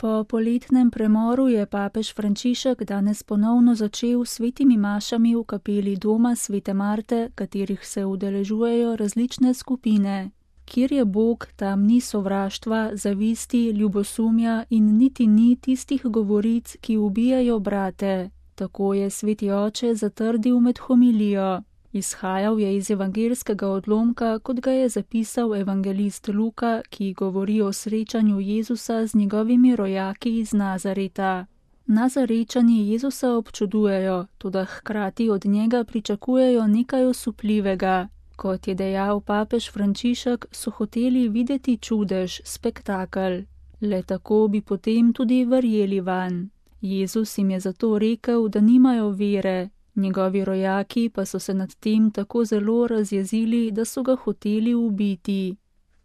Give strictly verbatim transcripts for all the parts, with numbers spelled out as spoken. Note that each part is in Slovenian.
Po poletnem premoru je papež Frančišek danes ponovno začel s svetimi mašami v kapeli doma svete Marte, katerih se udeležujejo različne skupine. Kjer je Bog, tam ni sovraštva, zavisti, ljubosumja in niti ni tistih govoric, ki ubijajo brate. Tako je sveti oče zatrdil med homilijo. Izhajal je iz evangelskega odlomka, kot ga je zapisal evangelist Luka, ki govori o srečanju Jezusa z njegovimi rojaki iz Nazareta. Nazarečani Jezusa občudujejo, toda hkrati od njega pričakujejo nekaj osupljivega. Kot je dejal papež Frančišek, so hoteli videti čudež, spektakel. Le tako bi potem tudi verjeli vanj. Jezus jim je zato rekel, da nimajo vere. Njegovi rojaki pa so se nad tem tako zelo razjezili, da so ga hoteli ubiti.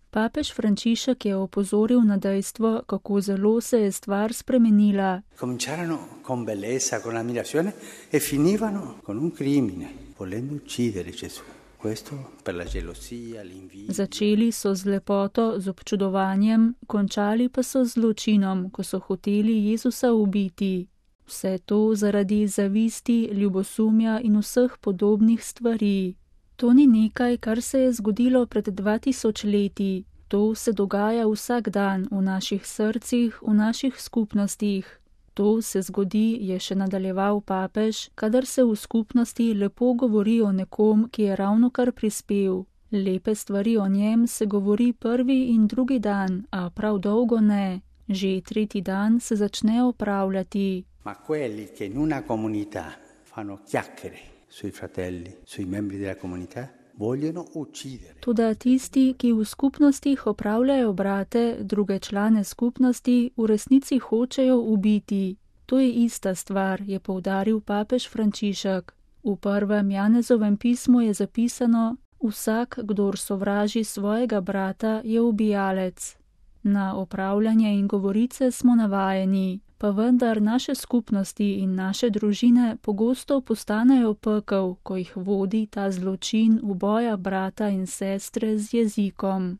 Papež Frančišek je opozoril na dejstvo, kako zelo se je stvar spremenila. Cominciarono con bellezza, con ammirazione e finivano con un crimine, volendo uccidere Gesù. Questo per la gelosia, l'invidia. Začeli so z lepoto, z občudovanjem, končali pa so z zločinom, ko so hoteli Jezusa ubiti. Vse to zaradi zavisti, ljubosumja in vseh podobnih stvari. To ni nekaj, kar se je zgodilo pred dva tisoč leti. To se dogaja vsak dan v naših srcih, v naših skupnostih. To se zgodi, je še nadaljeval papež, kadar se v skupnosti lepo govori o nekom, ki je ravno kar prispel. Lepe stvari o njem se govori prvi in drugi dan, a prav dolgo ne. Že tretji dan se začne opravljati. Ma quelli che in una comunità fanno chiacchiere sui fratelli, sui membri della comunità, vogliono uccidere. Toda tisti, ki v skupnostih opravljajo brate, druge člane skupnosti, v resnici hočejo ubiti. To je ista stvar, je poudaril papež Frančišek. V prvem Janezovem pismu je zapisano: vsak, kdor sovraži svojega brata, je ubijalec. Na opravljanje in govorice smo navajeni, pa vendar naše skupnosti in naše družine pogosto postanejo pekel, ko jih vodi ta zločin uboja brata in sestre z jezikom.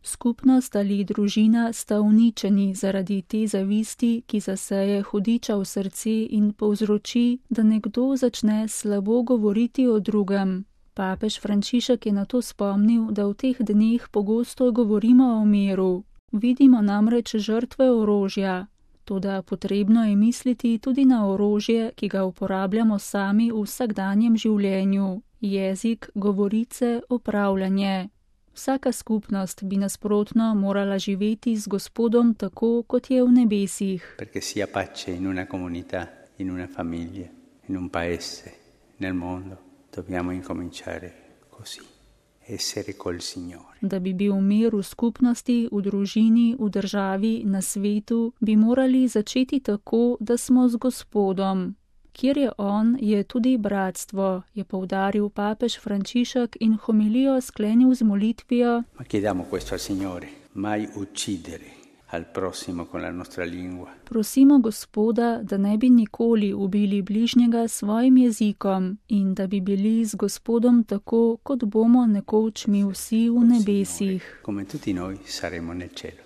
Skupnost ali družina sta uničeni zaradi te zavisti, ki zaseje hudiča v srce in povzroči, da nekdo začne slabo govoriti o drugem. Papež Frančišek je na to spomnil, da v teh dneh pogosto govorimo o miru. Vidimo namreč žrtve orožja. Toda potrebno je misliti tudi na orožje, ki ga uporabljamo sami v vsakdanjem življenju. Jezik, govorice, opravljanje. Vsaka skupnost bi nasprotno morala živeti z Gospodom tako, kot je v nebesih. Perché sia pace in una comunità, in una famiglia, in un paese, nel mondo, dobbiamo incominciare così. Essere col Signore. Da bi bil mir v skupnosti, v družini, v državi, na svetu, bi morali začeti tako, da smo z Gospodom. Kjer je On, je tudi bratstvo, je poudaril papež Frančišek in homilijo sklenil z molitvijo: Ma chiediamo questo al Signore, mai uccidere al prossimo con la nostra lingua. Prosimo Gospoda, da ne bi nikoli ubili bližnjega svojim jezikom in da bi bili z Gospodom tako, kot bomo nekoč mi vsi v nebesih. Come tutti noi saremo nel cielo.